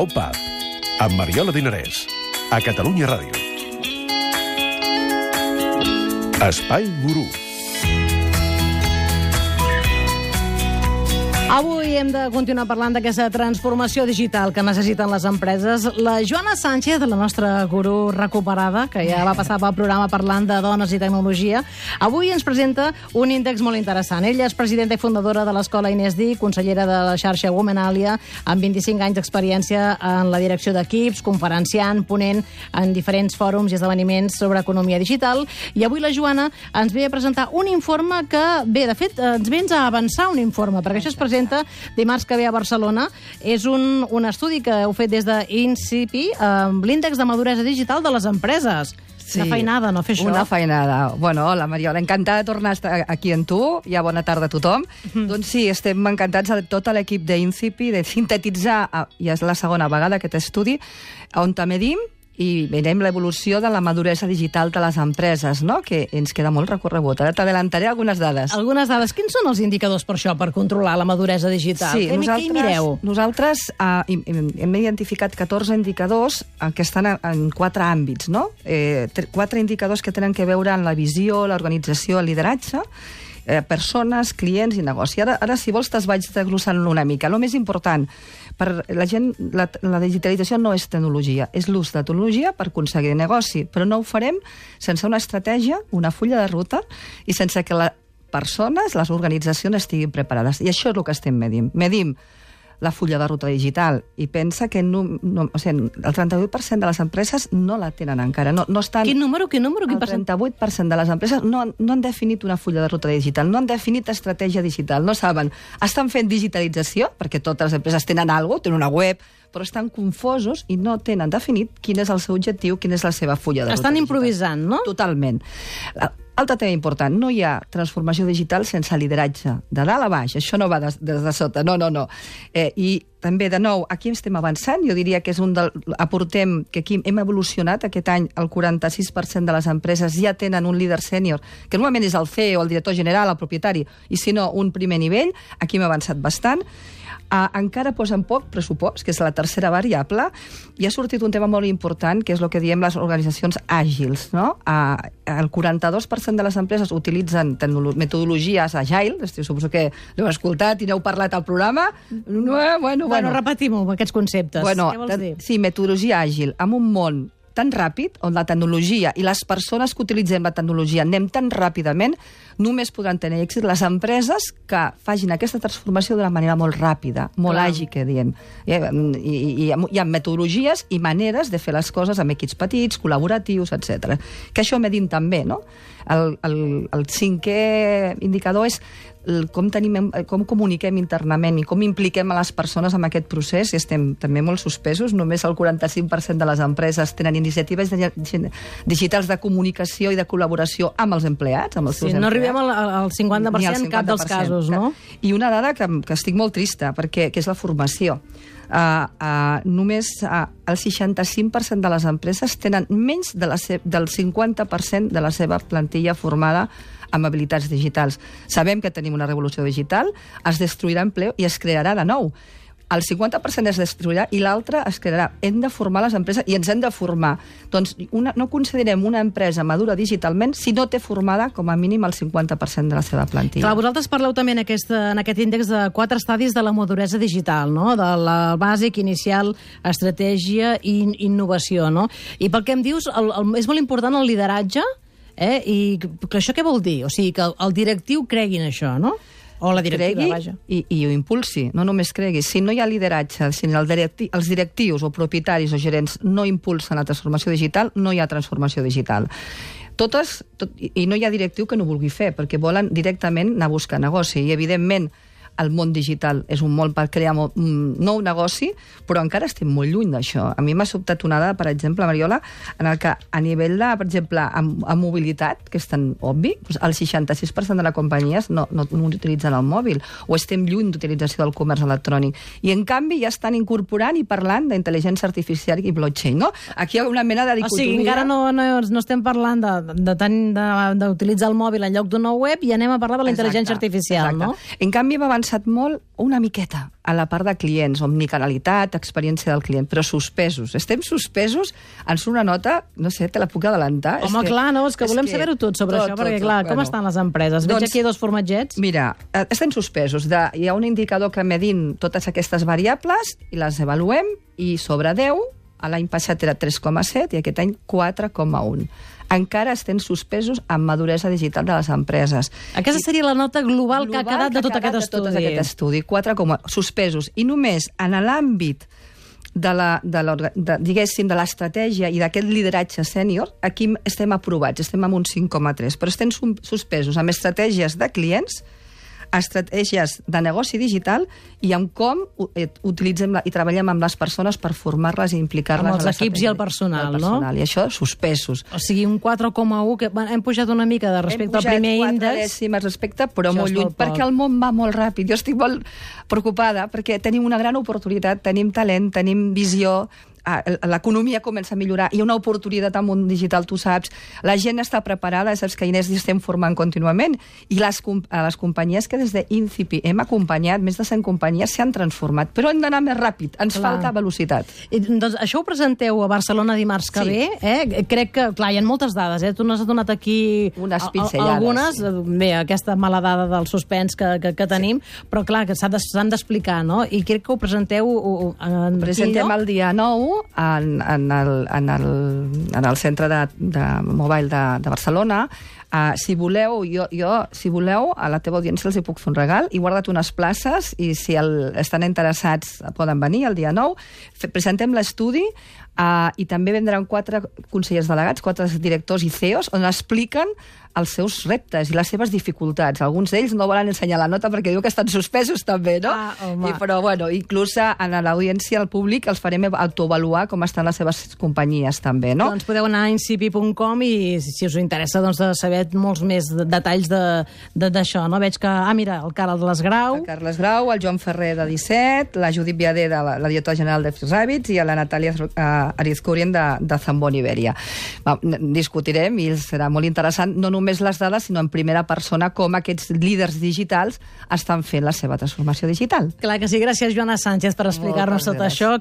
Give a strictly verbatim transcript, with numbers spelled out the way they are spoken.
Opa, amb Mariola Dinarès, a Catalunya Ràdio. Espai Gurú. Avui hem de continuar parlant d'aquesta transformació digital que necessiten les empreses. La Joana Sánchez, la nostra gurú recuperada, que ja va passar pel programa parlant de dones i tecnologia, avui ens presenta un índex molt interessant. Ella és presidenta i fundadora de l'Escola Inés Di, consellera de la xarxa Womenalia, amb vint-i-cinc anys d'experiència en la direcció d'equips, conferenciant, ponent en diferents fòrums i esdeveniments sobre economia digital. I avui la Joana ens ve a presentar un informe que, bé, de fet, ens vens a avançar un informe, perquè això es presenta dimarts que ve a Barcelona. És un, un estudi que heu fet des d'INCIPI amb l'índex de maduresa digital de les empreses. Sí, una feinada, no fer això? Una feinada. Bueno, hola, Mariola, encantada de tornar a estar aquí amb tu. Ja bona tarda a tothom. Mm. Doncs sí, estem encantats de tot l'equip d'INCIPI de sintetitzar, ja és la segona vegada aquest estudi, on també medim i veiem l'evolució de la maduresa digital de les empreses, no? Que ens queda molt recorregut. Ara t'adelantaré algunes dades. Algunes dades. Quins són els indicadors per això, per controlar la maduresa digital? Sí, què, nosaltres, què mireu? Nosaltres uh, hem identificat catorze indicadors uh, que estan en quatre àmbits, no? Eh, quatre indicadors que tenen que veure amb la visió, l'organització, el lideratge, eh, persones, clients i negoci. Ara, ara si vols, te'ls vaig desglossant una mica. El més important, per la gent, la, la digitalització no és tecnologia, és l'ús de tecnologia per aconseguir negoci, però no ho farem sense una estratègia, una fulla de ruta i sense que les persones, les organitzacions estiguin preparades. I això és el que estem medint. Medim la fulla de ruta digital i pensa que no, no, o sigui, el trenta-vuit per cent de les empreses no la tenen encara. No, no estan, quin número? Quin número? Quin el trenta-vuit per cent de les empreses no, no han definit una fulla de ruta digital, no han definit estratègia digital, no saben. Estan fent digitalització, perquè totes les empreses tenen alguna cosa, tenen una web, però estan confosos i no tenen definit quin és el seu objectiu, quina és la seva fulla de ruta estan digital. Estan improvisant, no? Totalment. Altre tema important, no hi ha transformació digital sense lideratge, de dalt a baix, això no va des de, de sota, no, no, no. Eh, I també, de nou, aquí estem avançant, jo diria que és un del... aportem que aquí hem evolucionat, aquest any el quaranta-sis per cent de les empreses ja tenen un líder sènior, que normalment és el C E O, el director general, el propietari, i si no, un primer nivell, aquí hem avançat bastant. Uh, encara posen poc pressupost, que és la tercera variable, i ha sortit un tema molt important, que és el que diem les organitzacions àgils, no? Uh, el quaranta-dos per cent de les empreses utilitzen metodologies agile, suposo que l'heu escoltat i n'heu parlat al programa. No, bueno, bueno, bueno repetim-ho, aquests conceptes. Bueno, què vols dir? Sí, metodologia àgil, en un món tan ràpid, on la tecnologia i les persones que utilitzem la tecnologia anem tan ràpidament, només podran tenir èxit les empreses que facin aquesta transformació d'una manera molt ràpida, molt Clar. àgil, que diem. I, i, i hi ha metodologies i maneres de fer les coses amb equips petits, col·laboratius, etcètera. Que això medim també, no? El, el, el cinquè indicador és el, com, tenim, com comuniquem internament i com impliquem a les persones en aquest procés, i estem també molt suspesos. Només el quaranta-cinc per cent de les empreses tenen iniciatives digitals de comunicació i de col·laboració amb els empleats, amb els seus sí, empleats. No arribem al, al cinquanta per cent en cap dels casos, no? I una dada que, que estic molt trista, perquè, que és la formació. Uh, uh, només uh, el seixanta-cinc per cent de les empreses tenen menys de la del cinquanta per cent de la seva plantilla formada amb habilitats digitals. Sabem que tenim una revolució digital, es destruirà empleo i es crearà de nou. El cinquanta per cent es destruirà i l'altre es crearà. Hem de formar les empreses i ens hem de formar. Doncs una, no considerem una empresa madura digitalment si no té formada com a mínim el cinquanta per cent de la seva plantilla. Clar, vosaltres parleu també en aquest, en aquest índex de quatre estadis de la maduresa digital, no? De la bàsic, inicial, estratègia i innovació, no? I pel que em dius, el, el, és molt important el lideratge, eh? I que això què vol dir? O sigui, que el, el directiu cregui en això, no? O la directiva, cregui vaja. I, i ho impulsi, no només cregui. Si no hi ha lideratge, si el directi, els directius o propietaris o gerents no impulsen la transformació digital, no hi ha transformació digital. Totes, tot, I no hi ha directiu que no vulgui fer, perquè volen directament anar a buscar negoci. I, evidentment, el món digital és un món per crear un nou negoci, però encara estem molt lluny d'això. A mi m'ha sobtat una dada, per exemple, Mariola, en el que a nivell de, per exemple, amb, amb mobilitat, que és tan obvi, doncs el seixanta-sis per cent de les companyies no, no, no utilitzen el mòbil, o estem lluny d'utilització del comerç electrònic. I, en canvi, ja estan incorporant i parlant d'intel·ligència artificial i blockchain, no? Aquí hi ha una mena de dicotomia. O sigui, encara no, no, no estem parlant d'utilitzar el mòbil en lloc d'una web i anem a parlar de la intel·ligència artificial, exacte. No? En canvi, hem avançat interessat molt una miqueta a la part de clients, omnicanalitat, experiència del client, però suspesos. Estem suspesos, ens una nota, no sé, te la puc adelantar. Home, és que, clar, no, és que és volem saber-ho tot sobre tot, això, perquè, tot, clar, tot, com bueno, estan les empreses? Veig doncs, aquí dos formatgets. Mira, estem suspesos. De, hi ha un indicador que medint totes aquestes variables i les avaluem, i sobre deu, l'any passat era tres coma set i aquest any quatre coma un. Encara estem suspesos en maduresa digital de les empreses. Aquesta seria la nota global, global que ha quedat de tot aquest estudi. De tot aquest estudi, quatre coma un suspesos. I només en l'àmbit de la, de la, de, diguéssim, de l'estratègia i d'aquest lideratge sènior, aquí estem aprovats, estem amb un cinc coma tres, però estem suspesos amb estratègies de clients, estratègies de negoci digital i amb com utilitzem la, i treballem amb les persones per formar-les i implicar-les. Amb els equips i el personal, no? I això, suspesos. O sigui, un quatre coma un, que hem pujat una mica de respecte al primer índex. Hem pujat quatre dècimes respecte, però molt lluny, perquè el món va molt ràpid. Jo estic molt preocupada perquè tenim una gran oportunitat, tenim talent, tenim visió, l'economia comença a millorar, hi ha una oportunitat al món digital, tu saps, la gent està preparada, saps que Inés estem formant contínuament, i les, les companyies que des d'Incipi hem acompanyat, més de cent companyies s'han transformat, però hem d'anar més ràpid, ens clar. falta velocitat. I, doncs això ho presenteu a Barcelona dimarts que sí. ve, eh? Crec que, clar, hi ha moltes dades, eh? Tu n'has donat aquí unes pinzellades. Algunes, sí. bé, aquesta mala dada del suspens que, que, que tenim, sí. però clar, que s'han d'explicar, no? I crec que ho presenteu en ho presentem el dia nou En, en, el, en, el, en el centre de, de mobile de, de Barcelona. Uh, si voleu, jo, jo, si voleu, a la teva audiència els hi puc fer un regal. He guardat unes places i si el, estan interessats poden venir el dia nou. Fe, presentem l'estudi uh, i també vendran quatre consellers delegats, quatre directors i C E Os, on expliquen els seus reptes i les seves dificultats. Alguns d'ells no volen ensenyar la nota perquè diu que estan suspesos també, no? Ah, I, però, bueno, inclús en l'audiència, al públic, els farem autoavaluar com estan les seves companyies també, no? Doncs podeu anar a incipi punt com i si us interessa doncs, de saber molts més detalls d'això, no? Veig que, ah, mira, el Carles Grau... El Carles Grau, el Joan Ferrer de disset, la Judit Viader, de la, la directora general de Fitzrabbits, i la Natàlia uh, Arizcurien de, de Zambon Iberia. Va, discutirem i serà molt interessant, no només les dades, sinó en primera persona com aquests líders digitals estan fent la seva transformació digital. Clar que sí. Gràcies, Joana Sánchez, per explicar-nos tot això.